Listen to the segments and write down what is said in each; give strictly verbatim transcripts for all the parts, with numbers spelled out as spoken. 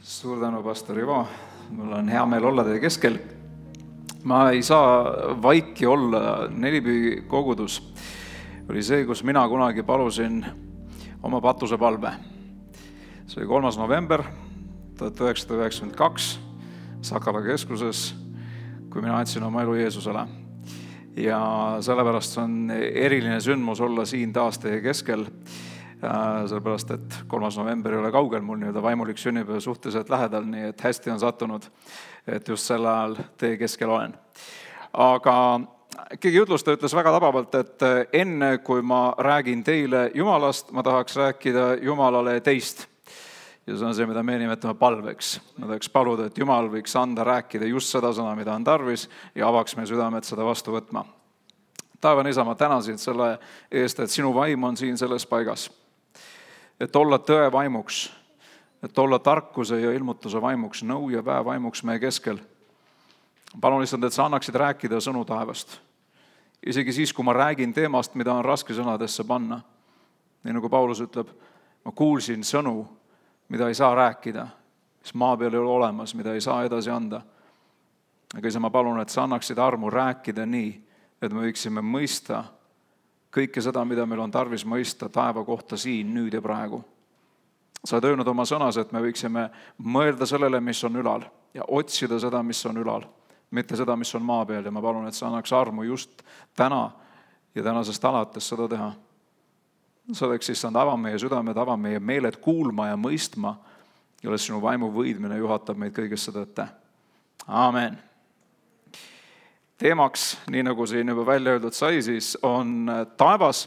Suur tänu, pastor Ivo. Mul on hea meel olla teie keskel. Ma ei saa vaiki olla. Nelipühi kogudus oli see, kus mina kunagi palusin oma patusepalve. See oli kolmas november tuhat üheksasada üheksakümmend kaks Sakala keskuses, kui mina andsin oma elu Jeesusele. Ja sellepärast on eriline sündmus olla siin taas teie keskel. Sellepärast, et kolmas november ei ole kaugel, mul nii-öelda vaimulik sünnipäev suhteliselt lähedal, nii et hästi on sattunud, et just sel ajal teie keskel olen. Aga keegi jutlustaja ütles väga tabavalt, et enne kui ma räägin teile Jumalast, ma tahaks rääkida Jumalale teist. Ja see on see, mida me nimetame palveks. Ma tahaks paluda, et Jumal võiks anda rääkida just seda sõna, mida on tarvis ja avaks meie südamed seda vastu võtma. Taevane Isa, ma tänasin selle eest, et sinu vaim on siin selles paigas. Et olla tõe vaimuks, et olla tarkuse ja ilmutuse vaimuks, nõu ja päev vaimuks meie keskel. Palun lihtsalt, et sa annaksid rääkida sõnu taevast. Isegi siis, kui ma räägin teemast, mida on raske sõnadesse panna. Nii nagu Paulus ütleb, ma kuulsin sõnu, mida ei saa rääkida, mis maa peal ei ole olemas, mida ei saa edasi anda. Aga isa, ma palun, et sa annaksid armu rääkida nii, et me võiksime mõista kõike seda, mida meil on tarvis mõista taeva kohta siin, nüüd ja praegu. Sa oled öelnud oma sõnas, et me võiksime mõelda sellele, mis on ülal ja otsida seda, mis on ülal, mitte seda, mis on maa peal. Ja ma palun, et sa annaks armu just täna ja tänasest alates seda teha. Selleks siis ava meie südamed, ava meie meeled kuulma ja mõistma ja olles sinu vaimu võidmine juhatab meid kõigesse tõtte. Aamen. Teemaks, nii nagu siin juba välja öeldud sai, siis on taevas.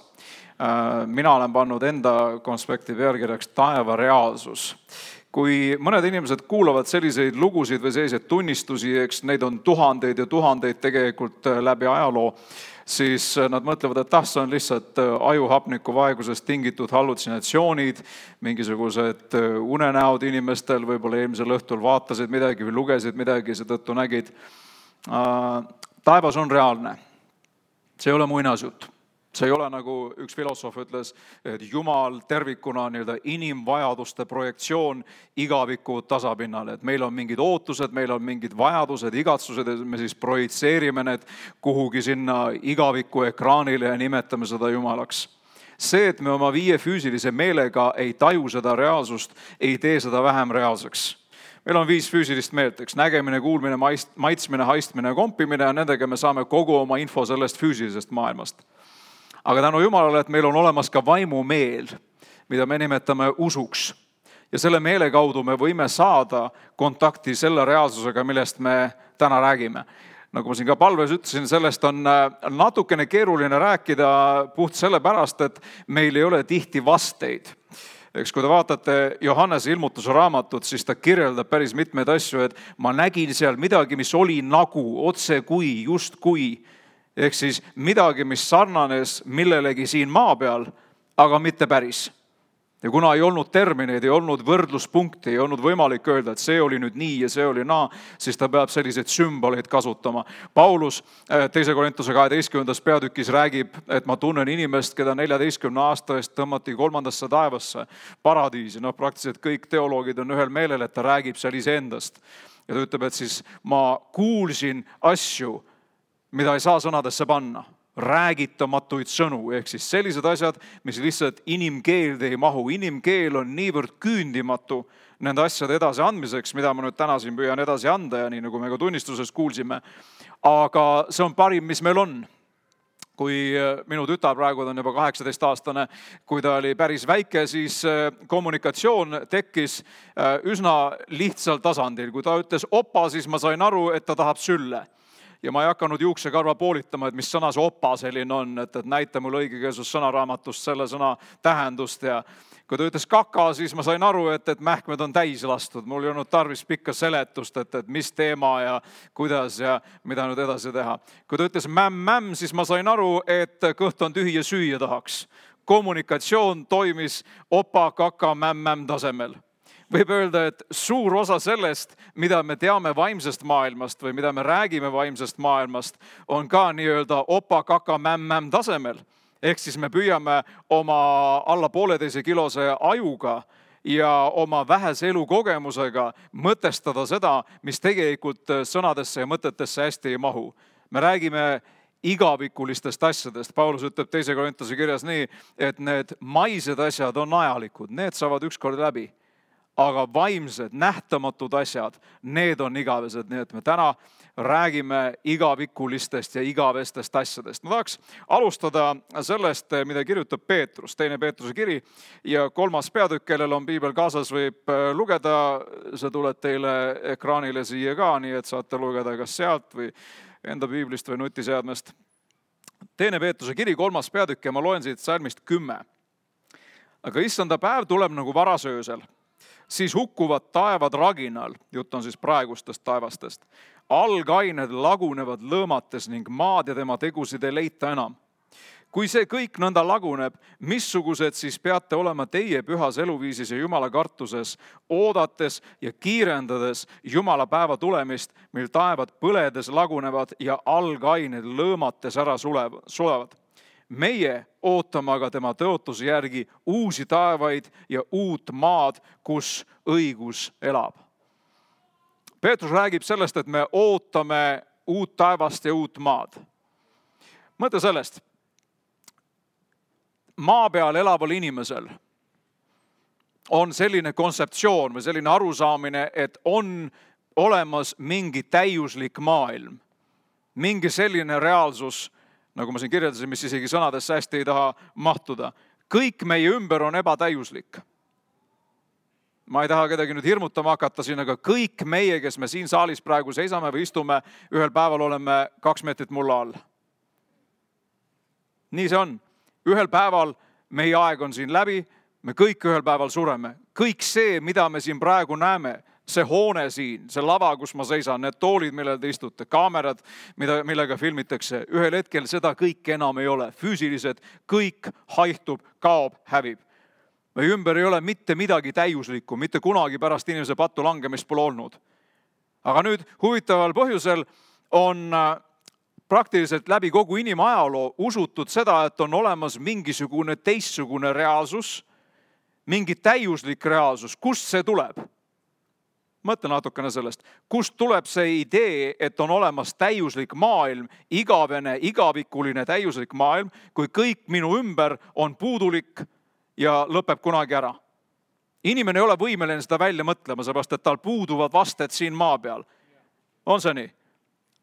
Mina olen pannud enda konspekti pealkirjaks taeva reaalsus. Kui mõned inimesed kuulavad selliseid lugusid või selliseid tunnistusi, eks neid on tuhandeid ja tuhandeid tegelikult läbi ajaloo, siis nad mõtlevad, et tah, see on lihtsalt ajuhapniku vaegusest tingitud hallutsinatsioonid, mingisugused unenäod inimestel, võib-olla eelmisel õhtul vaatasid midagi või lugesid midagi, seetõttu nägid. Taevas on reaalne. See ei ole muinasjutt. See ei ole nagu üks filosoof ütles, et Jumal tervikuna on nii-öelda inimvajaduste projektsioon igaviku tasapinnale. Et meil on mingid ootused, meil on mingid vajadused, igatsused ja me siis projitseerime need kuhugi sinna igaviku ekraanile ja nimetame seda Jumalaks. See, et me oma viie füüsilise meelega ei taju seda reaalsust, ei tee seda vähem reaalseks. Meil on viis füüsilist meelt, eks nägemine, kuulmine, maitsmine, haistmine ja kompimine ja nendega me saame kogu oma info sellest füüsilisest maailmast. Aga tänu Jumalale, et meil on olemas ka vaimu meel, mida me nimetame usuks. Ja selle meele kaudu me võime saada kontakti selle reaalsusega, millest me täna räägime. Nagu ma siin ka palves ütlesin, sellest on natukene keeruline rääkida puht sellepärast, et meil ei ole tihti vasteid. Eks kui te vaatate Johannese ilmutuse raamatut, siis ta kirjeldab päris mitmeid asju, et ma nägin seal midagi, mis oli nagu, otse kui, just kui. Ehk siis midagi, mis sarnanes millelegi siin maa peal, aga mitte päris. Ja kuna ei olnud termineid, ei olnud võrdluspunkti, ei olnud võimalik öelda, et see oli nüüd nii ja see oli naa, siis ta peab selliseid sümboleid kasutama. Paulus teise Korintuse kaheteistkümnendas peatükis räägib, et ma tunnen inimest, keda neljateistkümne aasta eest tõmmati kolmandasse taevasse, paradiisi. No praktiliselt kõik teoloogid on ühel meelel, et ta räägib seal iseendast. Ja ta ütleb, et siis ma kuulsin asju, mida ei saa sõnadesse panna. Räägitamatuid sõnu, ehk siis sellised asjad, mis lihtsalt inimkeelde ei mahu. Inimkeel on niivõrd küündimatu nende asjade edasi andmiseks, mida ma nüüd täna siin püüan edasi anda ja nii nagu me ka tunnistuses kuulsime. Aga see on parim, mis meil on. Kui minu tütar praegu on juba kaheksateist aastane, kui ta oli päris väike, siis kommunikatsioon tekkis üsna lihtsal tasandil. Kui ta ütles opa, siis ma sain aru, et ta tahab sülle. Ja ma ei hakanud juuksekarva poolitama, et mis sõna see opa selline on, et, et näita mul õigekeelsus sõnaraamatust selle sõna tähendust. Ja kui ta ütles kaka, siis ma sain aru, et, et mähkmed on täis lastud. Mul ei olnud tarvis pikka seletust, et, et mis teema ja kuidas ja mida nüüd edasi teha. Kui ta ütles mämm-mämm, siis ma sain aru, et kõht on tühi ja süüa tahaks. Kommunikatsioon toimis opa, kaka, mämm-mämm tasemel. Võib öelda, et suur osa sellest, mida me teame vaimsest maailmast või mida me räägime vaimsest maailmast, on ka nii-öelda opa, kaka, mämm-mämm tasemel. Ehk siis me püüame oma alla pooleteise kilose ajuga ja oma vähese elukogemusega mõtestada seda, mis tegelikult sõnadesse ja mõtetesse hästi ei mahu. Me räägime igavikulistest asjadest. Paulus ütleb teise Korintuse kirjas nii, et need maised asjad on ajalikud, need saavad ükskord läbi. Aga vaimsed, nähtamatud asjad, need on igavesed. Nii et me täna räägime igavikulistest ja igavestest asjadest. Ma tahaks alustada sellest, mida kirjutab Peetrus, teine Peetruse kiri ja kolmas peatükk, kellel on piibel kaasas, võib lugeda. See tuleb teile ekraanile siia ka, nii et saate lugeda kas sealt või enda piiblist või nutiseadmest. Teine Peetruse kiri, kolmas peatükk ja ma loen siit salmist kümme. Aga issanda päev tuleb nagu varasöösel. Siis hukkuvad taevad raginal, jutt on siis praegustest taevastest. Algained lagunevad lõõmates ning maad ja tema tegusid ei leita enam. Kui see kõik nõnda laguneb, missugused siis peate olema teie pühas eluviisis ja Jumala kartuses, oodates ja kiirendades Jumala päeva tulemist, mil taevad põledes lagunevad ja algained lõõmates ära sulevad. Meie ootame aga tema tõotuse järgi uusi taevaid ja uut maad, kus õigus elab. Peetrus räägib sellest, et me ootame uut taevast ja uut maad. Mõtle sellest. Maa peal elaval inimesel on selline kontseptsioon või selline arusaamine, et on olemas mingi täiuslik maailm, mingi selline reaalsus, nagu ma siin kirjeldasin, mis isegi sõnadesse hästi ei taha mahtuda. Kõik meie ümber on ebatäiuslik. Ma ei taha kedagi nüüd hirmutama hakata siin, aga kõik meie, kes me siin saalis praegu seisame või istume, ühel päeval oleme kaks meetrit mulla all. Nii see on. Ühel päeval meie aeg on siin läbi, me kõik ühel päeval sureme. Kõik see, mida me siin praegu näeme, see hoone siin, see lava, kus ma seisan, need toolid, millel te istute, kaamerad, mida, millega filmitakse, ühel hetkel seda kõik enam ei ole. Füüsilised, kõik haihtub, kaob, hävib. Meie ümber ei ole mitte midagi täiuslikku, mitte kunagi pärast inimese pattu langemist pole olnud. Aga nüüd huvitaval põhjusel on praktiliselt läbi kogu inimajaloo usutud seda, et on olemas mingisugune teistsugune reaalsus, mingi täiuslik reaalsus. Kust see tuleb? Mõtle natukene sellest. Kust tuleb see idee, et on olemas täiuslik maailm, igavene, igavikuline täiuslik maailm, kui kõik minu ümber on puudulik ja lõpeb kunagi ära. Inimene ei ole võimeline seda välja mõtlema, seepärast, et tal puuduvad vasted siin maa peal. On see nii?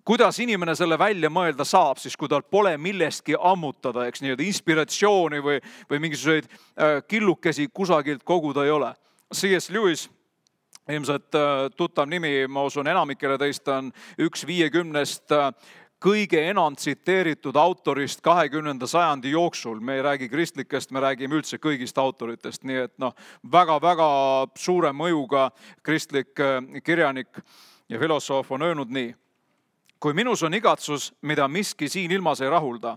Kuidas inimene selle välja mõelda saab, siis kui tal pole millestki ammutada, eks nii, inspiratsiooni või, või mingisuguseid killukesi kusagilt koguda ei ole. C S Lewis, ilmselt tuttav nimi, ma usun enamikele teist on üks viiekümnest kõige enam tsiteeritud autorist kahekümnenda sajandi jooksul. Me ei räägi kristlikest, me räägime üldse kõigist autoritest. Nii et noh, väga-väga suure mõjuga kristlik kirjanik ja filosoof on öelnud nii. Kui minus on igatsus, mida miski siin ilmas ei rahulda,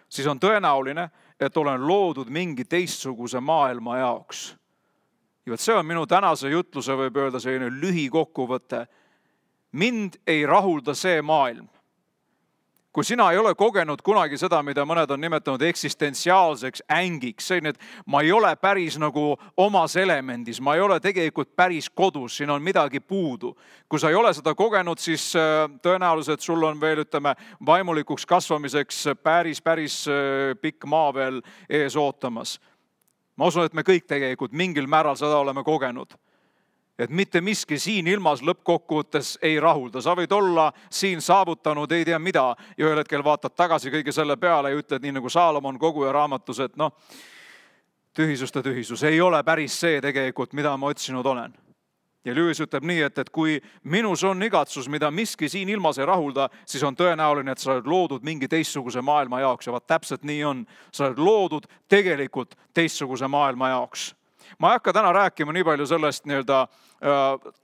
siis on tõenäoline, et olen loodud mingi teistsuguse maailma jaoks. Ja see on minu tänase jutluse, võib öelda selline lühikokkuvõte. Mind ei rahulda see maailm. Kui sina ei ole kogenud kunagi seda, mida mõned on nimetanud eksistentsiaalseks ängiks, see, et ma ei ole päris nagu omas elemendis, ma ei ole tegelikult päris kodus, siin on midagi puudu. Kui sa ei ole seda kogenud, siis tõenäoliselt sul on veel, ütleme, vaimulikuks kasvamiseks päris, päris pikk maa veel ees ootamas. Ma usun, et me kõik tegelikult mingil määral seda oleme kogenud. Et mitte miski siin ilmas lõppkokkuvõttes ei rahulda. Sa võid olla siin saavutanud ei tea mida ja ühel hetkel vaatad tagasi kõige selle peale ja ütled nii nagu Saalomon koguja raamatus, et noh, tühisuste tühisus ei ole päris see tegelikult, mida ma otsinud olen. Ja Lewis ütleb nii, et, et kui minus on igatsus, mida miski siin ilmas ei rahulda, siis on tõenäoline, et sa oled loodud mingi teistsuguse maailma jaoks ja vaat täpselt nii on. Sa oled loodud tegelikult teistsuguse maailma jaoks. Ma ei hakka täna rääkima nii palju sellest nii-öelda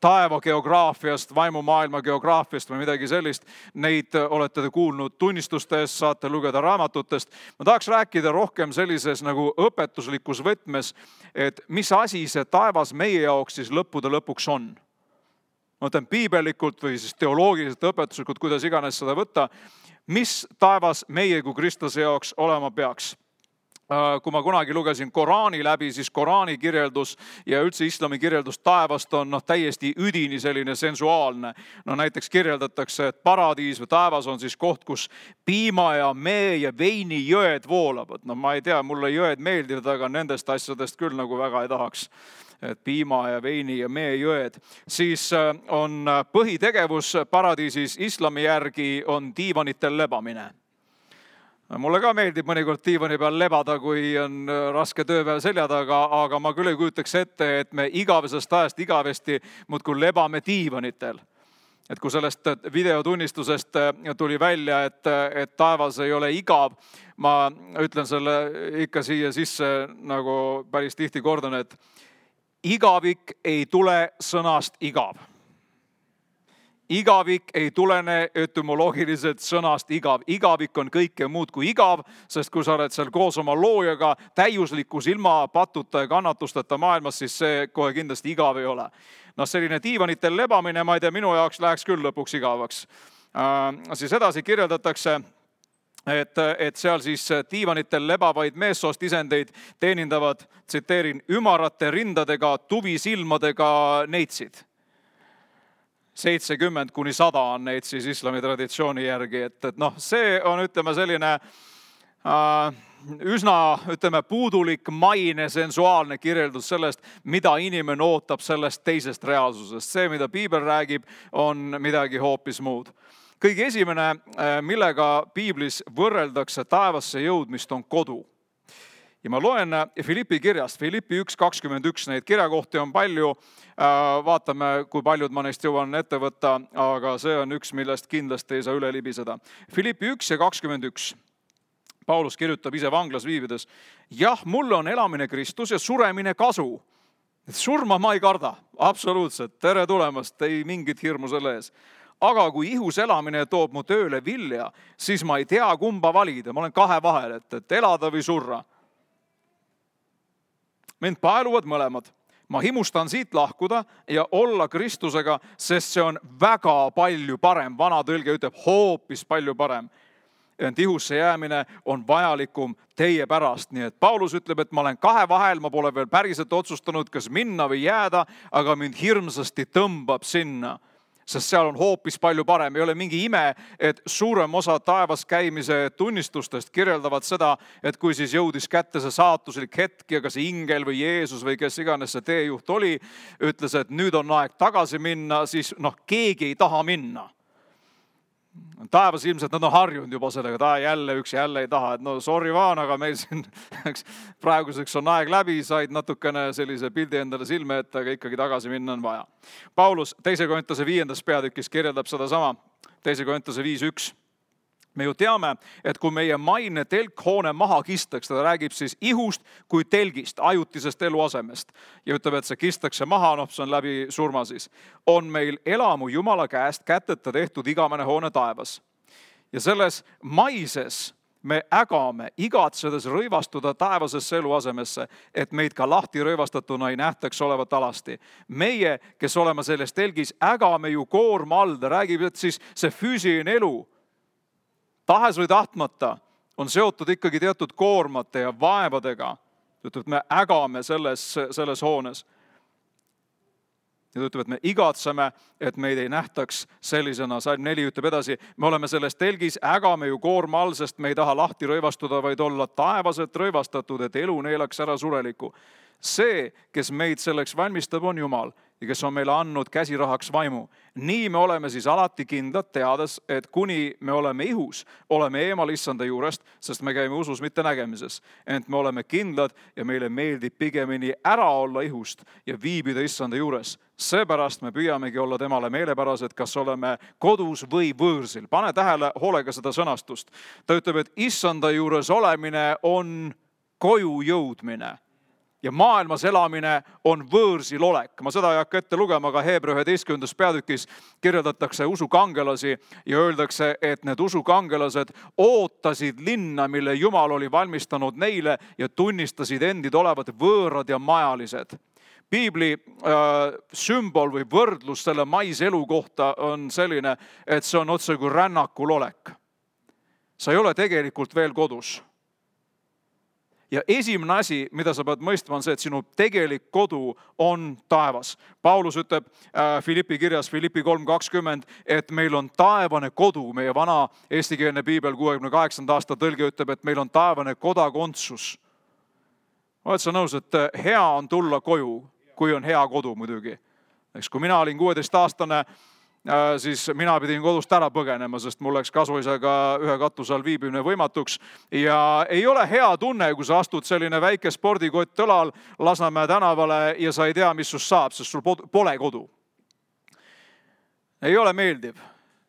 taeva geograafiast, vaimumaailma geograafiast või midagi sellist. Neid olete te kuulnud tunnistustest, saate lugeda raamatutest. Ma tahaks rääkida rohkem sellises nagu õpetuslikus võtmes, et mis asi see taevas meie jaoks siis lõppude lõpuks on. Ma mõtlen piibelikult või siis teoloogiliselt õpetuslikult, kuidas iganes seda võtta, mis taevas meie kui Kristuse jaoks olema peaks. kui ma kunagi lugesin Koraani läbi, siis Koraani kirjeldus ja üldse islami kirjeldus taevast on noh, täiesti üdini selline sensuaalne. No näiteks kirjeldatakse, et paradiis või taevas on siis koht, kus piima ja mee ja veini jõed voolavad. No ma ei tea, mulle jõed meeldivad, aga nendest asjadest küll nagu väga ei tahaks. Et piima ja veini ja mee jõed. Siis on põhitegevus paradiisis islami järgi on diivanitel lebamine. Mulle ka meeldib mõnikord diivani peal lebada, kui on raske tööpäev selja taga, aga ma küll ei kujutaks ette, et me igavesest ajast igavesti muudkui lebame diivanitel. Et kui sellest videotunnistusest tuli välja, et, et taevas ei ole igav, ma ütlen selle ikka siia sisse, nagu päris tihti kordan, et igavik ei tule sõnast igav. Igavik ei tulene etümoloogiliselt sõnast igav. Igavik on kõike muud kui igav, sest kui sa oled seal koos oma loojaga täiuslikus ilma patuta ja kannatusteta maailmas, siis see kohe kindlasti igav ei ole. No selline diivanitel lebamine, ma ei tea, minu jaoks läheks küll lõpuks igavaks. Äh, siis edasi kirjeldatakse, et, et seal siis diivanitel lebavaid meessoost isendeid teenindavad, tsiteerin, ümarate rindadega, tuvisilmadega neitsid. seitsekümmend kuni sada on neid siis islami traditsiooni järgi, et, et noh, see on, ütleme, selline äh, üsna, ütleme, puudulik, maine, sensuaalne kirjeldus sellest, mida inimene ootab sellest teisest reaalsusest. See, mida piibel räägib, on midagi hoopis muud. Kõige esimene, millega piiblis võrreldakse taevasse jõudmist, on kodu. Ja ma loen Filippi kirjast, Filippi üks kakskümmend üks, neid kirjakohti on palju, vaatame, kui paljud ma neist jõuan ette võtta, aga see on üks, millest kindlasti ei saa üle libiseda. Filippi üks ja kakskümmend üks. Paulus kirjutab ise vanglas viibides, jah, mulle on elamine Kristus ja suremine kasu. Surma ma ei karda, absoluutselt, tere tulemast, ei mingit hirmu selle ees. Aga kui ihus elamine toob mu tööle vilja, siis ma ei tea kumba valida, ma olen kahe vahel, et, et elada või surra. Mind paeluvad mõlemad. Ma himustan siit lahkuda ja olla Kristusega, sest see on väga palju parem. Vana tõlge ütleb hoopis palju parem. Ent ihusse jäämine on vajalikum teie pärast. Nii et Paulus ütleb, et ma olen kahe vahel, ma pole veel päriselt otsustanud, kas minna või jääda, aga mind hirmsasti tõmbab sinna. Sest seal on hoopis palju parem. Ei ole mingi ime, et suurem osa taevas käimise tunnistustest kirjeldavad seda, et kui siis jõudis kätte see saatuslik hetk ja kas ingel või Jeesus või kes iganes see teejuht oli, ütles, et nüüd on aeg tagasi minna, siis noh, keegi ei taha minna. Taevas ilmselt nad on harjunud juba sellega, ta jälle üks jälle ei taha, et no sorry vaan, aga meil siin praeguseks on aeg läbi, said natukene sellise pildi endale silme ette, aga ikkagi tagasi minna on vaja. Paulus teise Korintuse viiendas peatükis kirjeldab seda sama, teise Korintuse viis üks. Me ju teame, et kui meie maine telkhoone maha kistakse, ta räägib siis ihust kui telgist, ajutisest eluasemest. Ja ütleb, et see kistakse maha, noh, see on läbi surma siis. On meil elamu Jumala käest käteta tehtud igavene hoone taevas. Ja selles maises me ägame, igatsedes rõivastuda taevasesse eluasemesse, et meid ka lahti rõivastatuna ei nähtaks olevat alasti. Meie, kes oleme selles telgis, ägame ju koorma all, ta räägib, et siis see füüsiline elu, tahes või tahtmata on seotud ikkagi teatud koormate ja vaevadega. Ütleb, et me ägame selles, selles hoones. Ja ütleb, et me igatseme, et meid ei nähtaks sellisena. Salm neli ütleb edasi, me oleme selles telgis, ägame ju koorma all, sest me ei taha lahti rõivastuda, vaid olla taevaselt rõivastatud, et elu neelaks ära sureliku. See, kes meid selleks valmistab, on Jumal ja kes on meile andnud käsirahaks vaimu. Nii me oleme siis alati kindlad, teades, et kuni me oleme ihus, oleme eemal issanda juurest, sest me käime usus, mitte nägemises. Ent me oleme kindlad ja meile meeldib pigemini ära olla ihust ja viibida issanda juures. Seepärast me püüamegi olla temale meelepärased, kas oleme kodus või võõrsil. Pane tähele hoolega seda sõnastust. Ta ütleb, et issanda juures olemine on koju jõudmine. Ja maailmas elamine on võõrsil olek. Ma seda ei hakka ette lugema, aga Heebra üheteistkümnendas peatükis kirjeldatakse usukangelasi ja öeldakse, et need usukangelased ootasid linna, mille Jumal oli valmistanud neile ja tunnistasid endid olevat võõrad ja majalised. Piibli äh, sümbol või võrdlus selle maiselu kohta on selline, et see on otse kui rännakul olek. Sa ei ole tegelikult veel kodus. Ja esimene asi, mida sa pead mõistma, on see, et sinu tegelik kodu on taevas. Paulus ütleb äh, Filippi kirjas, Filippi kolm kakskümmend, et meil on taevane kodu. Meie vana eestikeelne piibel kuuekümne kaheksanda aasta tõlge ütleb, et meil on taevane kodakondsus. Oled sa nõus, et hea on tulla koju, kui on hea kodu muidugi. Eks, kui mina olin kuueteistaastane, siis mina pidin kodust ära põgenema, sest mul läks kasuisaga ühe katuse all viibimine võimatuks. Ja ei ole hea tunne, kui sa astud selline väike spordikott õlal Lasnamäe tänavale ja sa ei tea, mis sust saab, sest sul pole kodu. Ei ole meeldiv.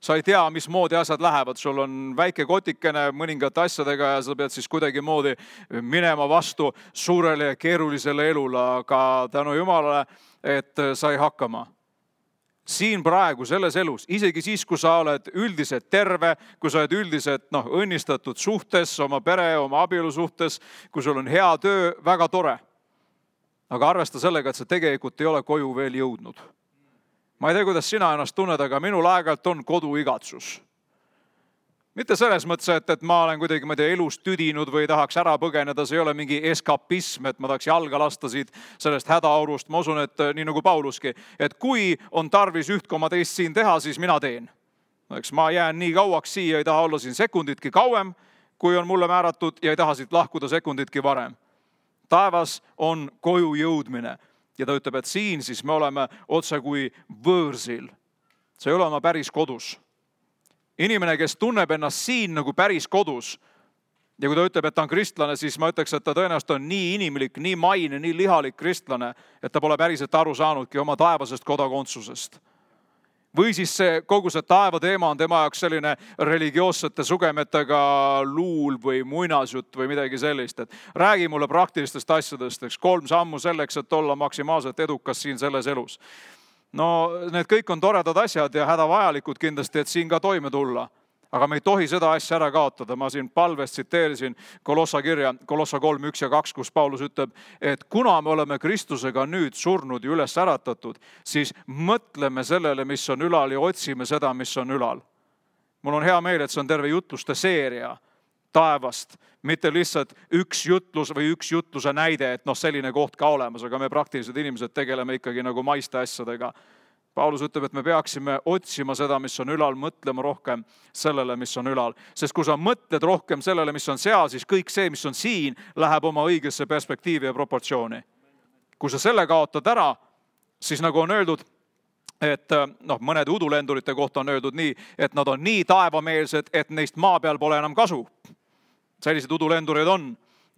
Sa ei tea, mismoodi asjad lähevad. Sul on väike kotikene mõningate asjadega ja sa pead siis kuidagi moodi minema vastu suurele ja keerulisele elule, aga tänu Jumalale, et sai hakkama. Siin praegu selles elus, isegi siis, kui sa oled üldiselt terve, kui sa oled üldiselt noh, õnnistatud suhtes, oma pere, oma abielu suhtes, kui sul on hea töö, väga tore. Aga arvesta sellega, et sa tegelikult ei ole koju veel jõudnud. Ma ei tea, kuidas sina ennast tunned, aga minul aeg-ajalt on koduigatsus. Mitte selles mõttes, et, et ma olen kuidagi ma tea, elust tüdinud või tahaks ära põgeneda, see ei ole mingi eskapism, et ma tahaks jalga lasta siit sellest hädaaurust. Ma usun, et nii nagu Pauluski, et kui on tarvis üht koma teist siin teha, siis mina teen. Eks ma jään nii kauaks siia, ei taha olla siin sekunditki kauem, kui on mulle määratud ja ei taha siit lahkuda sekunditki varem. Taevas on koju jõudmine. Ja ta ütleb, et siin siis me oleme otse kui võõrsil. See ei ole oma päris kodus. Inimene, kes tunneb ennast siin nagu päris kodus ja kui ta ütleb, et ta on kristlane, siis ma ütleks, et ta tõenäoliselt on nii inimlik, nii maine, nii lihalik kristlane, et ta pole päriselt aru saanudki oma taevasest kodakondsusest. Või siis see, kogu see taeva teema on tema jaoks selline religioossete sugemetega luul või muinasjutt või midagi sellist. Et räägi mulle praktilistest asjadest, eks kolm sammu selleks, et olla maksimaalselt edukas siin selles elus. No need kõik on toredad asjad ja hädavajalikud kindlasti, et siin ka toime tulla. Aga me ei tohi seda asja ära kaotada. Ma siin palvest tsiteerisin Kolossa kirja, Kolossa kolm, üks ja kaks, kus Paulus ütleb, et kuna me oleme Kristusega nüüd surnud ja üles äratatud, siis mõtleme sellele, mis on ülal ja otsime seda, mis on ülal. Mul on hea meel, et see on terve jutluste seeria taevast, mitte lihtsalt üks jutlus või üks jutluse näide, et noh, selline koht ka olemas, aga me praktilised inimesed tegeleme ikkagi nagu maiste asjadega. Paulus ütleb, et me peaksime otsima seda, mis on ülal, mõtlema rohkem sellele, mis on ülal. Sest kui sa mõtled rohkem sellele, mis on seal, siis kõik see, mis on siin, läheb oma õigesse perspektiivi ja proportsiooni. Kui sa selle kaotad ära, siis nagu on öeldud, et noh, mõned udulendurite kohta on öeldud nii, et nad on nii taevameelsed, et neist maa peal pole enam kasu. Sellised udulendurid on.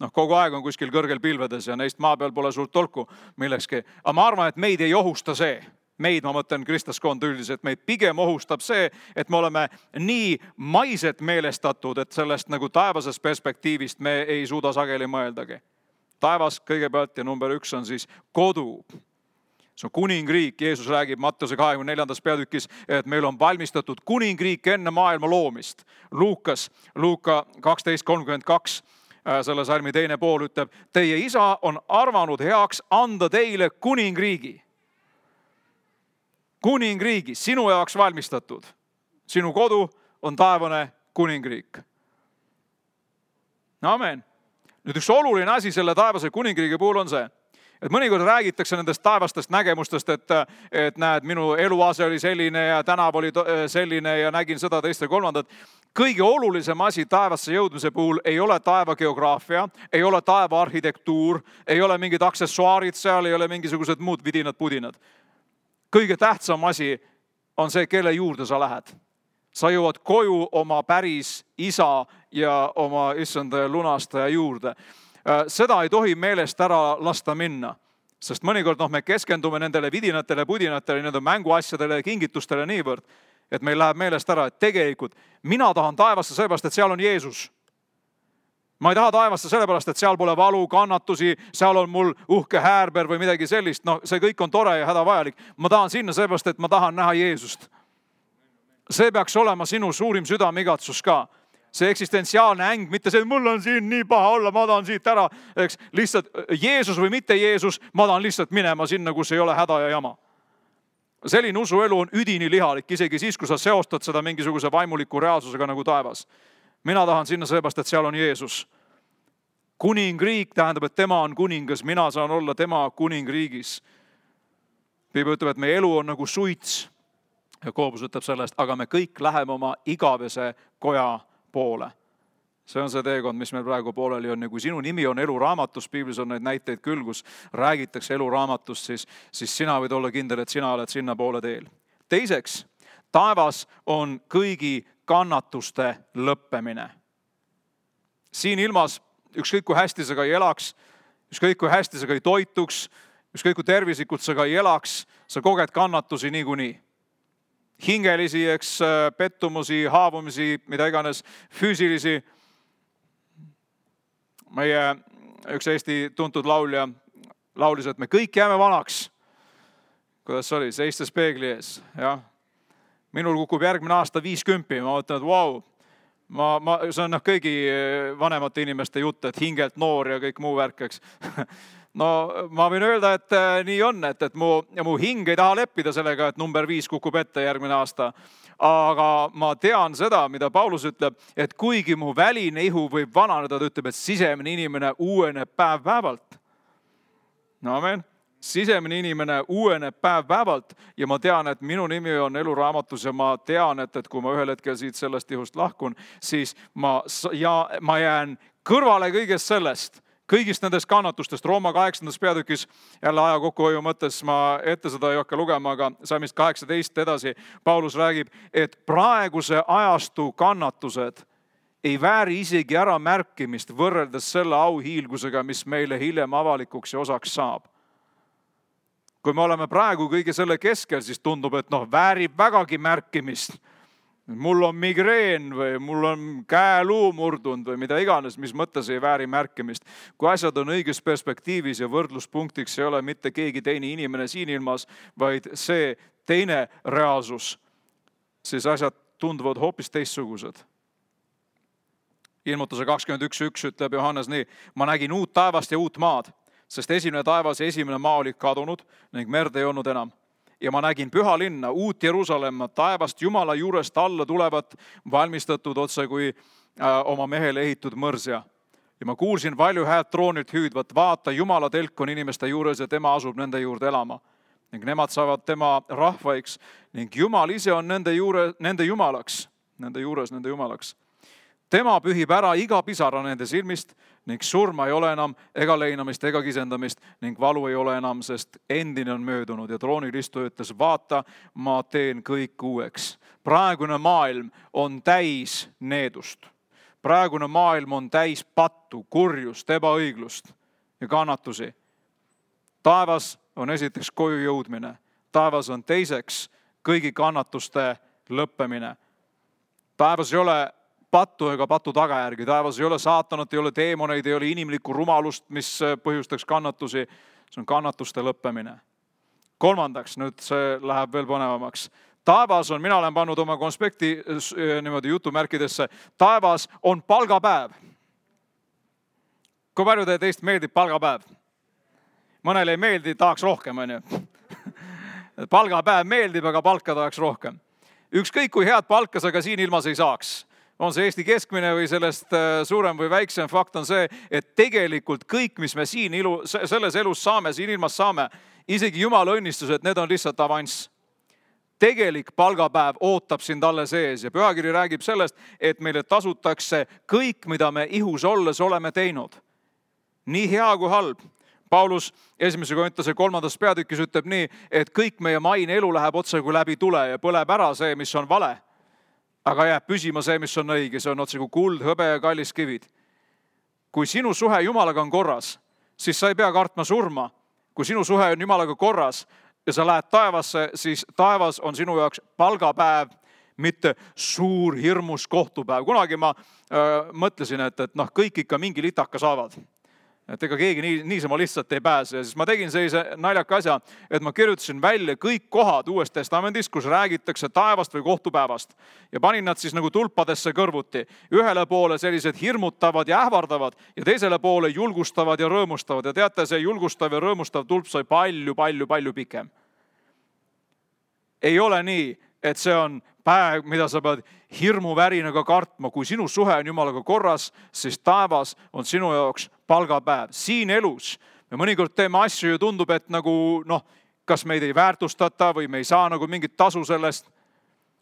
Noh, kogu aeg on kuskil kõrgel pilvedes ja neist maa peal pole suurt tolku millekski. Aga ma arvan, et meid ei ohusta see. Meid, ma mõtlen kristlaskond üldiselt, meid pigem ohustab see, et me oleme nii maiselt meelestatud, et sellest nagu taevasest perspektiivist me ei suuda sageli mõeldagi. Taevas kõigepealt ja number üks on siis kodu. See on kuningriik. Jeesus räägib Matteuse kahekümne neljandas peatükis, et meil on valmistatud kuningriik enne maailma loomist. Luukas, Luuka kaksteist kolmkümmend kaks, selle salmi teine pool ütleb, teie isa on arvanud heaks anda teile kuningriigi. Kuningriigi, sinu jaoks valmistatud. Sinu kodu on taevane kuningriik. Amen. Nüüd üks oluline asi selle taevase kuningriigi puhul on see, et mõnikord räägitakse nendest taevastest nägemustest, et, et näed, minu eluase oli selline ja tänav oli selline ja nägin seda teist ja kolmandat. Kõige olulisem asi taevasse jõudmise puhul ei ole taeva geograafia, ei ole taeva arhitektuur, ei ole mingid aksessuaarid seal, ei ole mingisugused muud vidinad-pudinad. Kõige tähtsam asi on see, kelle juurde sa lähed. Sa jõuad koju oma päris isa ja oma issanda ja lunastaja juurde. Seda ei tohi meelest ära lasta minna, sest mõnikord noh, me keskendume nendele vidinatele, pudinatele, nende mänguasjadele ja kingitustele niivõrd, et meil läheb meelest ära, et tegelikult mina tahan taevasse sellepärast, et seal on Jeesus. Ma ei taha taevasse sellepärast, et seal pole valu, kannatusi, seal on mul uhke häärber või midagi sellist. No see kõik on tore ja hädavajalik. Ma tahan sinna sellepärast, et ma tahan näha Jeesust. See peaks olema sinu suurim südameigatsus ka. See eksistentsiaalne äng, mitte see, et mul on siin nii paha olla, ma tahan siit ära. Eks, lihtsalt Jeesus või mitte Jeesus, ma tahan lihtsalt minema sinna, kus ei ole häda ja jama. Selline usuelu on üdini lihalik, isegi siis, kui sa seostad seda mingisuguse vaimuliku reaalsusega nagu taevas. Mina tahan sinna sellepärast, et seal on Jeesus. kuningriik tähendab, et tema on kuningas, mina saan olla tema kuningriigis. Piibel ütleb, et meie elu on nagu suits. Ja Koobus ütleb sellest, aga me kõik läheme oma igavese koja poole. See on see teekond, mis meil praegu pooleli on. Ja kui sinu nimi on eluraamatus, piiblis on neid näiteid küll, kus räägitakse eluraamatust, siis, siis sina võid olla kindel, et sina oled sinna poole teel. Teiseks, taevas on kõigi kannatuste lõppemine. Siin ilmas ükskõik kui hästi sa ka ei elaks, ükskõik kui hästi sa ka ei toituks, ükskõik kui tervislikult sa ka ei elaks, sa koged kannatusi niikuinii. Hingelisi, eks, pettumusi, haavumisi, mida iganes, füüsilisi. Meie üks Eesti tuntud laulja laulis, et me kõik jääme vanaks. Kuidas see oli? Seistes peegli ees. Ja. Minul kukub järgmine aasta viiskümmend. Ma mõtlen, et vau, ma, ma, see on noh, kõigi vanemate inimeste jutt, et hingelt noor ja kõik muu värk, eks. No ma võin öelda, et nii on, et, et mu, mu hing ei taha leppida sellega, et number viis kukub ette järgmine aasta. Aga ma tean seda, mida Paulus ütleb, et kuigi mu väline ihu võib vananeda, ta ütleb, et sisemine inimene uueneb päev päevalt. No amen. Sisemine inimene uueneb päev päevalt ja ma tean, et minu nimi on eluraamatus ja ma tean, et, et kui ma ühel hetkel siit sellest ihust lahkun, siis ma, ja, ma jään kõrvale kõigest sellest, kõigist nendest kannatustest. Rooma kaheksandas peatükis, jälle aja kokkuhoiu mõttes, ma ette seda ei hakka lugema, aga salmist kaheksateist edasi Paulus räägib, et praeguse ajastu kannatused ei vääri isegi ära märkimist võrreldes selle auhiilgusega, mis meile hiljem avalikuks ja osaks saab. Kui me oleme praegu kõige selle keskel, siis tundub, et noh, väärib vägagi märkimist. Mul on migreen või mul on käeluu murdunud või mida iganes, mis mõttes ei vääri märkimist. Kui asjad on õiges perspektiivis ja võrdluspunktiks ei ole mitte keegi teine inimene siin ilmas, vaid see teine reaalsus, siis asjad tunduvad hoopis teistsugused. Ilmutuse kakskümmend üks üks ütleb Johannes nii, ma nägin uut taevast ja uut maad, sest esimene taevas ja esimene maa oli kadunud ning merd ei olnud enam. Ja ma nägin püha linna, uut Jeruusalemma, taevast Jumala juurest alla tulevat, valmistatud otse kui äh, oma mehele ehitud mõrsja. Ja ma kuulsin valju häält troonilt hüüdvat, vaata, Jumala telk on inimeste juures ja tema asub nende juurde elama. Ning nemad saavad tema rahvaiks ning Jumal ise on nende, juure, nende jumalaks, nende juures nende jumalaks. Tema pühib ära iga pisara nende silmist ning surma ei ole enam ega leinamist ega kisendamist ning valu ei ole enam, sest endine on möödunud ja troonil istuja ütles, vaata, ma teen kõik uueks. Praegune maailm on täis needust. Praegune maailm on täis pattu, kurjust, ebaõiglust ja kannatusi. Taevas on esiteks koju jõudmine. Taevas on teiseks kõigi kannatuste lõppemine. Taevas ei ole pattu ega patu tagajärgi. Taevas ei ole saatanat, ei ole teemoneid, ei ole inimlikku rumalust, mis põhjustaks kannatusi. See on kannatuste lõppemine. Kolmandaks, nüüd see läheb veel põnevamaks. Taevas on, mina olen pannud oma konspekti niimoodi jutumärkidesse, taevas on palgapäev. Kui palju teist meeldib palgapäev? Mõnele ei meeldi, tahaks rohkem, on ju. Palgapäev meeldib, aga palka tahaks rohkem. Ükskõik kui head palka sa ka siin ilmas ei saaks. On see Eesti keskmine või sellest suurem või väiksem, fakt on see, et tegelikult kõik, mis me siin ilu, selles elus saame, siin ilmas saame, isegi Jumala õnnistused, need on lihtsalt avanss. Tegelik palgapäev ootab sind alles ees ja pühakiri räägib sellest, et meile tasutakse kõik, mida me ihus olles oleme teinud. Nii hea kui halb. Paulus esimese Korintuse kolmandas peatükis ütleb nii, et kõik meie maine elu läheb otse kui läbi tule ja põleb ära see, mis on vale. Aga jääb püsima see, mis on õige, see on otse kui kuld, hõbe ja kallis kivid. Kui sinu suhe Jumalaga on korras, siis sa ei pea kartma surma. Kui sinu suhe on Jumalaga korras ja sa lähed taevasse, siis taevas on sinu jaoks palgapäev, mitte suur hirmus kohtupäev. Kunagi ma öö, mõtlesin, et, et noh, kõik ikka mingi litaka saavad. Et ega keegi nii, niisama lihtsalt ei pääse. Ja siis ma tegin sellise naljaka asja, et ma kirjutasin välja kõik kohad Uues Testamendis, kus räägitakse taevast või kohtupäevast. Ja panin nad siis nagu tulpadesse kõrvuti. Ühele poole sellised hirmutavad ja ähvardavad ja teisele poole julgustavad ja rõõmustavad. Ja teate, see julgustav ja rõõmustav tulp sai palju, palju, palju pikem. Ei ole nii, et see on päev, mida sa pead hirmuvärinaga kartma. Kui sinu suhe on Jumalaga korras, siis taevas on sinu jaoks palgapäev. Siin elus me mõnikord teeme asju ja tundub, et nagu, noh, kas meid ei väärtustata või me ei saa nagu mingit tasu sellest.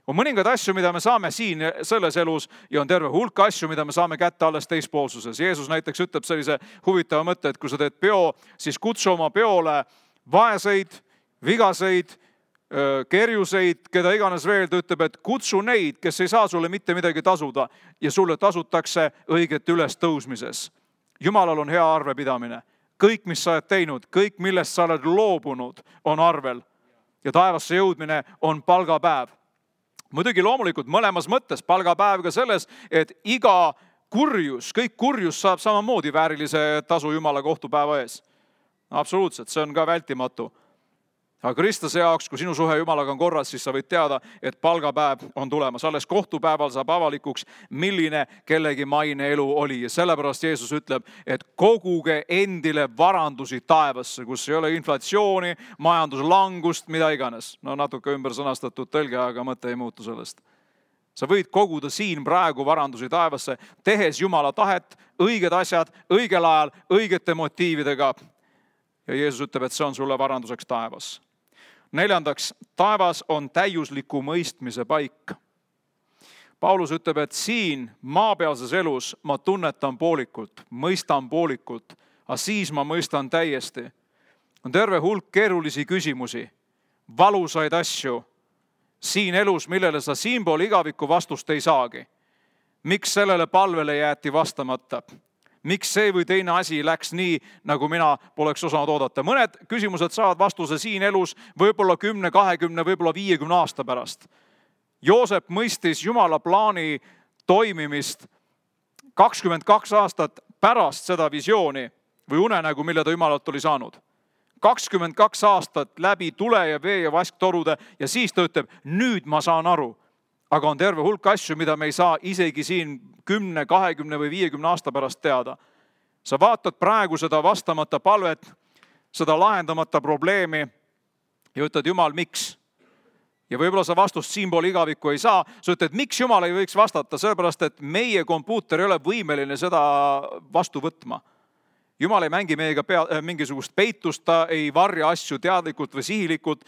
On mõningad asju, mida me saame siin selles elus ja on terve hulk asju, mida me saame kätte alles teispoolsuses. Jeesus näiteks ütleb sellise huvitava mõtte, et kui sa teed peo, siis kutsu oma peole vaeseid, vigaseid, kerjuseid, keda iganes veel, ta ütleb, et kutsu neid, kes ei saa sulle mitte midagi tasuda ja sulle tasutakse õiget üles tõusmises. Jumalal on hea arvepidamine. Kõik, mis sa oled teinud, kõik, millest sa oled loobunud, on arvel. Ja taevasse jõudmine on palgapäev. Muidugi loomulikult mõlemas mõttes palgapäev ka selles, et iga kurjus, kõik kurjus saab samamoodi väärilise tasu Jumala kohtupäeva ees. Absoluutselt, see on ka vältimatu. Aga Kristuse jaoks, kui sinu suhe Jumalaga on korras, siis sa võid teada, et palgapäev on tulemas. Alles kohtupäeval saab avalikuks, milline kellegi maine elu oli. Ja sellepärast Jeesus ütleb, et koguge endile varandusi taevasse, kus ei ole inflatsiooni, majanduslangust, mida iganes. No natuke ümber sõnastatud tõlge, aga mõte ei muutu sellest. Sa võid koguda siin praegu varandusi taevasse, tehes Jumala tahet, õiged asjad, õigel ajal, õigete motiividega. Ja Jeesus ütleb, et see on sulle varanduseks taevas. Neljandaks, taevas on täiusliku mõistmise paik. Paulus ütleb, et siin maapealses elus ma tunnetan poolikult, mõistan poolikult, aga siis ma mõistan täiesti. On terve hulk keerulisi küsimusi, valusaid asju siin elus, millele sa siinpool igaviku vastust ei saagi. Miks sellele palvele jäeti vastamata? Miks see või teine asi läks nii, nagu mina poleks osanud oodata? Mõned küsimused saavad vastuse siin elus võib-olla kümne, kahekümne, võib-olla viiekümne aasta pärast. Joosep mõistis Jumala plaani toimimist kakskümmend kaks aastat pärast seda visiooni või unenägu, mille ta Jumalalt oli saanud. kakskümmend kaks aastat läbi tule ja vee ja vasktorude ja siis ta ütleb, nüüd ma saan aru. Aga on terve hulk asju, mida me ei saa isegi siin kümne, kahekümne või viiekümne aasta pärast teada. Sa vaatad praegu seda vastamata palvet, seda lahendamata probleemi ja ütled, Jumal, miks? Ja võib-olla sa vastust siinpool igavikku ei saa. Sa ütled, miks Jumal ei võiks vastata? Sellepärast, et meie kompuuter ei ole võimeline seda vastu võtma. Jumal ei mängi meiega pea, mingisugust peitust, ta ei varja asju teadlikult või sihilikult,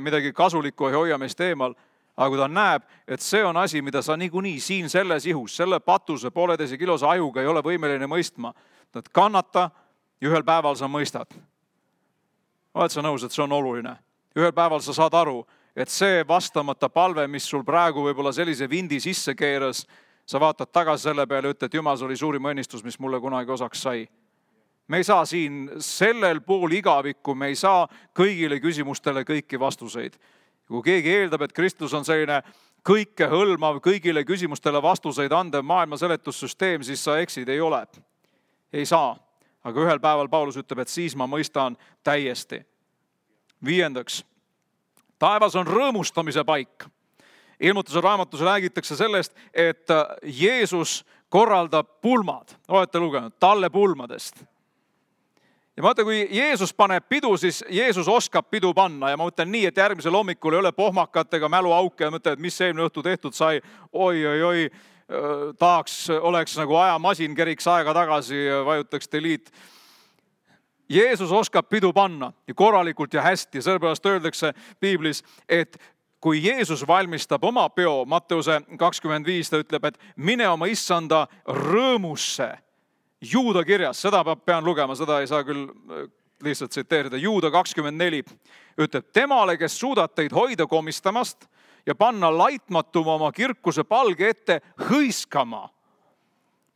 midagi kasulikku ei hoia meist eemal. Aga kui ta näeb, et see on asi, mida sa niikuinii siin selles ihus, selle patuse pooleteise kilose ajuga ei ole võimeline mõistma, et kannata ja ühel päeval sa mõistad. Oled sa nõus, et see on oluline? Ühel päeval sa saad aru, et see vastamata palve, mis sul praegu võib-olla sellise vindi sisse keeras, sa vaatad tagasi selle peale ja ütled, et Jumal, see oli suurim õnnistus, mis mulle kunagi osaks sai. Me ei saa siin sellel pool igavikku, me ei saa kõigile küsimustele kõiki vastuseid. Kui keegi eeldab, et Kristus on selline kõike hõlmav, kõigile küsimustele vastuseid andev maailma seletussüsteem, siis sa eksid, ei ole. Ei saa. Aga ühel päeval Paulus ütleb, et siis ma mõistan täiesti. Viiendaks, taevas on rõõmustamise paik. Ilmutuse raamatus räägitakse sellest, et Jeesus korraldab pulmad. Olete lugenud talle pulmadest. Ja ma mõtlen, kui Jeesus paneb pidu, siis Jeesus oskab pidu panna. Ja ma mõtlen nii, et järgmisel hommikul ei ole pohmakatega mäluauke ja mõtlen, et mis eelmine õhtu tehtud sai. Oi, oi, oi, tahaks, oleks nagu ajamasin, keriks aega tagasi ja vajutaks delete. Jeesus oskab pidu panna ja korralikult ja hästi. Sellepärast öeldakse Piiblis, et kui Jeesus valmistab oma peo, Matteuse kakskümmend viis, ta ütleb, et mine oma issanda rõõmusse. Juuda kirjas, seda pean lugema, seda ei saa küll lihtsalt tsiteerida. Juuda kakskümmend neli ütleb, temale, kes suudab teid hoida komistamast ja panna laitmatuma oma kirkuse palge ette hõiskama.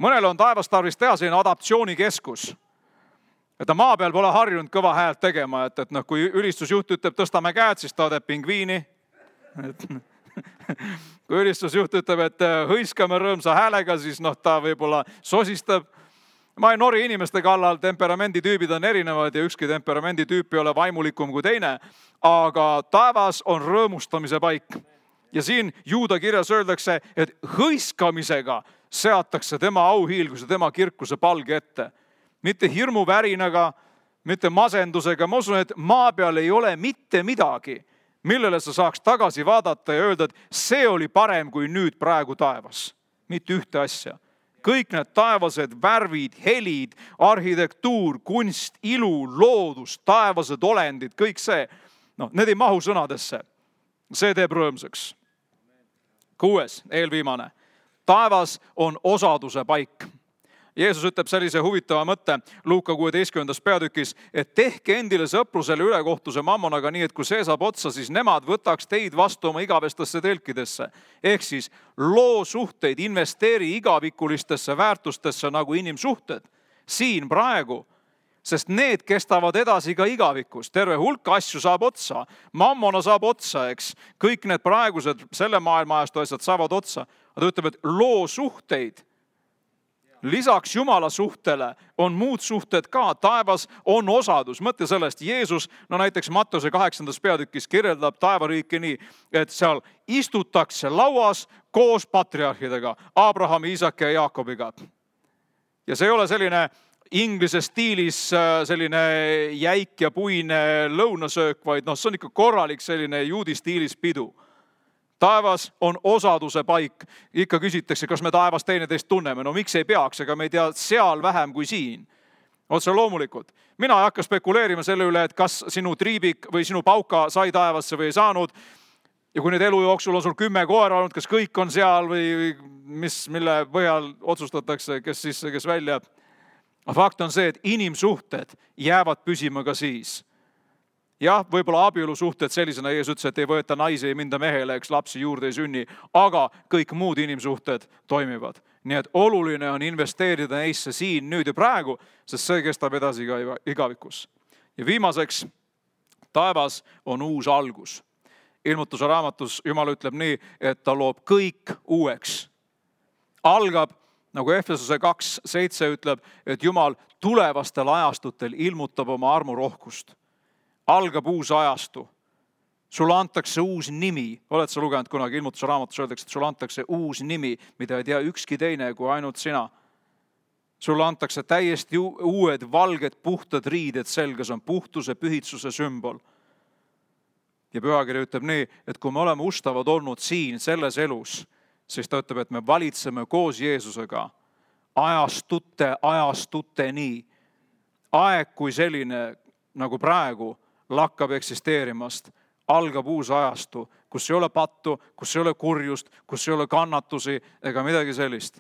Mõnele on taevast tarvis teha selline adaptsioonikeskus. Et ta maa peal pole harjunud kõva häält tegema, et, et noh, kui ülistusjuht ütleb, tõstame käed, siis ta teeb pingviini. Et, kui ülistusjuht ütleb, et hõiskame rõõmsa häälega, siis noh, ta võib-olla sosistab. Ma ei nori inimeste kallal, temperamenditüübid on erinevad ja ükski temperamenditüüp ei ole vaimulikum kui teine, aga taevas on rõõmustamise paik. Ja siin Juuda kirjas öeldakse, et hõiskamisega seatakse tema auhiilguse, tema kirkuse palge ette. Mitte hirmuvärinaga, mitte masendusega. Ma usun, et maa peal ei ole mitte midagi, millele sa saaks tagasi vaadata ja öelda, et see oli parem kui nüüd praegu taevas. Mitte ühte asja. Kõik need taevased värvid, helid, arhitektuur, kunst, ilu, loodus, taevased olendid, kõik see, no, need ei mahu sõnadesse. See teeb rõõmsaks. Kuues, eelviimane. Taevas on osaduse paik. Jeesus ütleb sellise huvitava mõtte Luuka kuueteistkümnendas peatükis, et tehke endile sõprusele ülekohtuse mammonaga nii, et kui see saab otsa, siis nemad võtaks teid vastu oma igavestesse telkidesse. Ehk siis loo suhteid, investeeri igavikulistesse väärtustesse nagu inimsuhted. Siin praegu, sest need kestavad edasi ka igavikus. Terve hulk asju saab otsa. Mammona saab otsa, eks. Kõik need praegused selle maailma ajastu asjad saavad otsa. Ta ütleb, et loo suhteid. Lisaks Jumala suhtele on muud suhted ka. Taevas on osadus. Mõtle sellest, Jeesus, no näiteks Mattuse kaheksandas peatükis kirjeldab taevariiki nii, et seal istutakse lauas koos patriarhidega, Abrahami, Iisaki ja Jaakobiga. Ja see ei ole selline inglise stiilis selline jäik ja puine lõunasöök, vaid no, see on ikka korralik selline juudi stiilis pidu. Taevas on osaduse paik. Ikka küsitakse, kas me taevas teineteist tunneme. No miks ei peaks, ega me ei tea seal vähem kui siin. Otse loomulikult. Mina ei hakka spekuleerima selle üle, et kas sinu triibik või sinu pauka sai taevasse või ei saanud. Ja kui nüüd elu jooksul on sul kümme koera olnud, kas kõik on seal või mis, mille põhjal otsustatakse, kes sisse, kes välja. Fakt on see, et inimsuhted jäävad püsima ka siis. Jah, võib-olla abielusuhted sellisena, Jeesus ütles, et ei võeta naisi, ei minda mehele, eks lapsi juurde ei sünni, aga kõik muud inimsuhted toimivad. Nii et oluline on investeerida neisse siin, nüüd ja praegu, sest see kestab edasi ka igavikus. Ja viimaseks, taevas on uus algus. Ilmutuse raamatus Jumal ütleb nii, et ta loob kõik uueks. Algab, nagu Efesuse kaks seitse ütleb, et Jumal tulevastel ajastutel ilmutab oma armu rohkust. Algab uus ajastu. Sulle antakse uus nimi. Oled sa lugenud kunagi ilmutuse raamatus öeldakse, et sulle antakse uus nimi, mida ei tea ükski teine kui ainult sina. Sulle antakse täiesti uued valged puhtad riided selga, see on puhtuse, pühitsuse sümbol. Ja pühakiri ütleb nii, et kui me oleme ustavad olnud siin, selles elus, siis ta ütleb, et me valitseme koos Jeesusega ajastute, ajastuteni. Aeg kui selline, nagu praegu, lakkab eksisteerimast, algab uus ajastu, kus ei ole pattu, kus ei ole kurjust, kus ei ole kannatusi ega midagi sellist.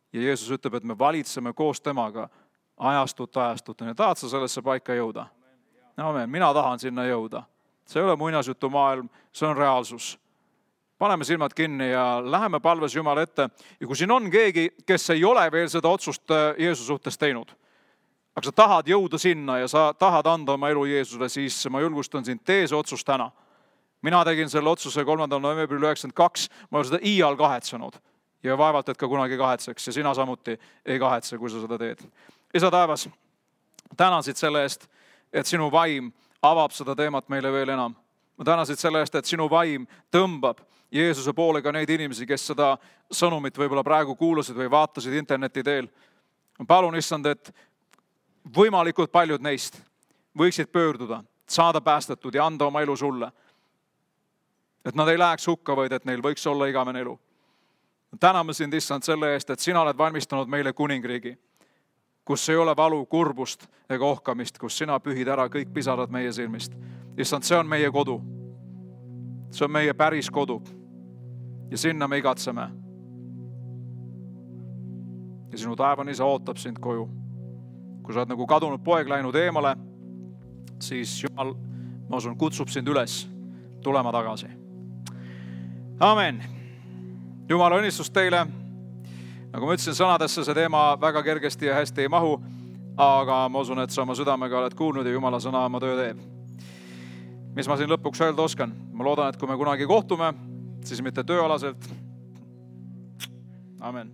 Ja Jeesus ütleb, et me valitseme koos temaga ajastut ajastuteni. Tahad sa sellesse paika jõuda? Amen. Mina tahan sinna jõuda. See ei ole muinasjutu maailm, see on reaalsus. Paneme silmad kinni ja läheme palves Jumala ette. Ja kui siin on keegi, kes ei ole veel seda otsust Jeesuse suhtes teinud, aga sa tahad jõuda sinna ja sa tahad anda oma elu Jeesusele, siis ma julgustan sind, tee see otsus täna. Mina tegin selle otsuse kolmandal novembril üheksakümmend kaks, ma olen seda iial kahetsenud ja vaevalt, et ka kunagi kahetseks ja sina samuti ei kahetse, kui sa seda teed. Isa taevas, tänasid selle eest, et sinu vaim avab seda teemat meile veel enam. Ma tänasid selle eest, et sinu vaim tõmbab Jeesuse poole ka neid inimesi, kes seda sõnumit võib-olla praegu kuulasid või vaatasid interneti teel. Ma palun issand, et võimalikult paljud neist võiksid pöörduda, saada päästetud ja anda oma elu sulle. Et nad ei läheks hukka, vaid et neil võiks olla igavene elu. Täname sind, issand, selle eest, et sina oled valmistanud meile kuningriigi, kus ei ole valu, kurbust ega ohkamist, kus sina pühid ära kõik pisarad meie silmist. Issand, see on meie kodu. See on meie päris kodu. Ja sinna me igatseme. Ja sinu taevane isa ootab sind koju. Kui sa oled nagu kadunud poeg läinud eemale, siis Jumal, ma usun, kutsub sind üles tulema tagasi. Amen. Jumala õnnistus teile. Nagu ma ütlesin, sõnadesse see teema väga kergesti ja hästi ei mahu, aga ma usun, et sa oma südamega oled kuulnud ja Jumala sõna oma töö teeb. Mis ma siin lõpuks öelda oskan? Ma loodan, et kui me kunagi kohtume, siis mitte tööalaselt. Amen.